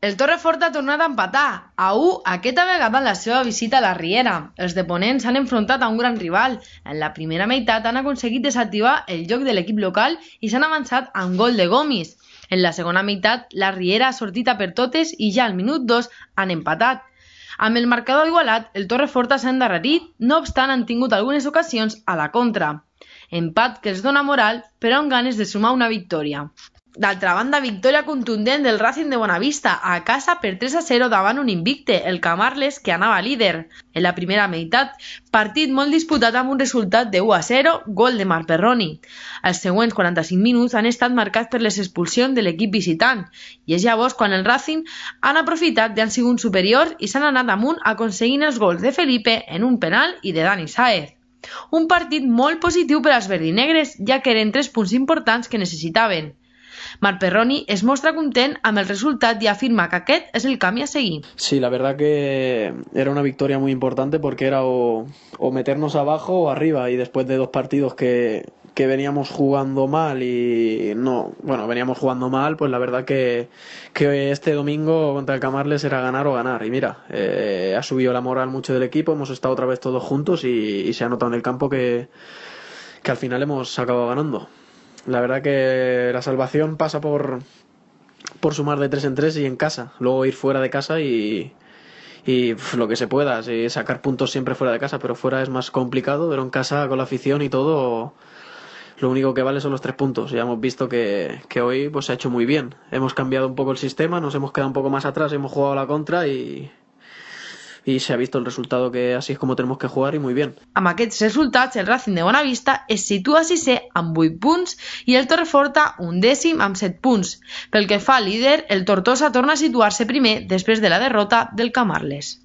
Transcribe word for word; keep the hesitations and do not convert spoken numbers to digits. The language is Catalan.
El Torreforta ha tornat a empatar, a u aquesta vegada en la seva visita a la Riera. Els de Ponent s'han enfrontat a un gran rival. En la primera meitat han aconseguit desactivar el joc de l'equip local i s'han avançat amb gol de Gomis. En la segona meitat, la Riera ha sortit a per totes i ja al minut dos han empatat. Amb el marcador igualat, el Torreforta s'ha endarrerit, no obstant han tingut algunes ocasions a la contra. Empat que els dona moral, però amb ganes de sumar una victòria. D'altra banda, victòria contundent del Racing de Bonavista a casa per tres a zero davant un invicte, el Camarles, que anava líder. En la primera meitat, partit molt disputat amb un resultat de u a zero, gol de Marc Perroni. Els següents quaranta-cinc minuts han estat marcats per les expulsions de l'equip visitant, i és llavors quan el Racing han aprofitat i han sigut superiors i s'han anat amunt aconseguint els gols de Felipe en un penal i de Dani Sáez. Un partit molt positiu per als verdinegres, ja que eren tres punts importants que necessitaven. Marc Perroni es mostra content amb el resultat y afirma que aquest es el camino a seguir. Sí, la verdad que era una victoria muy importante porque era o, o meternos abajo o arriba, y después de dos partidos que, que veníamos jugando mal y no, bueno, veníamos jugando mal, pues la verdad que, que este domingo contra el Camarles era ganar o ganar, y mira, eh, ha subido la moral mucho del equipo, hemos estado otra vez todos juntos y, y se ha notado en el campo que, que al final hemos acabado ganando. La verdad que la salvación pasa por, por sumar de tres en tres y en casa. Luego ir fuera de casa y, y pf, lo que se pueda. Sí, sacar puntos siempre fuera de casa, pero fuera es más complicado. Pero en casa, con la afición y todo, lo único que vale son los tres puntos. Ya hemos visto que, que hoy pues, se ha hecho muy bien. Hemos cambiado un poco el sistema, nos hemos quedado un poco más atrás, hemos jugado a la contra y... i se ha vist el resultat que així és com tenemos que jugar i muy bien. Amb aquests resultats, el Racing de Bonavista es situa sisè amb vuit punts i el Torreforta un dècim amb set punts. Pel que fa al líder, el Tortosa torna a situar-se primer després de la derrota del Camarles.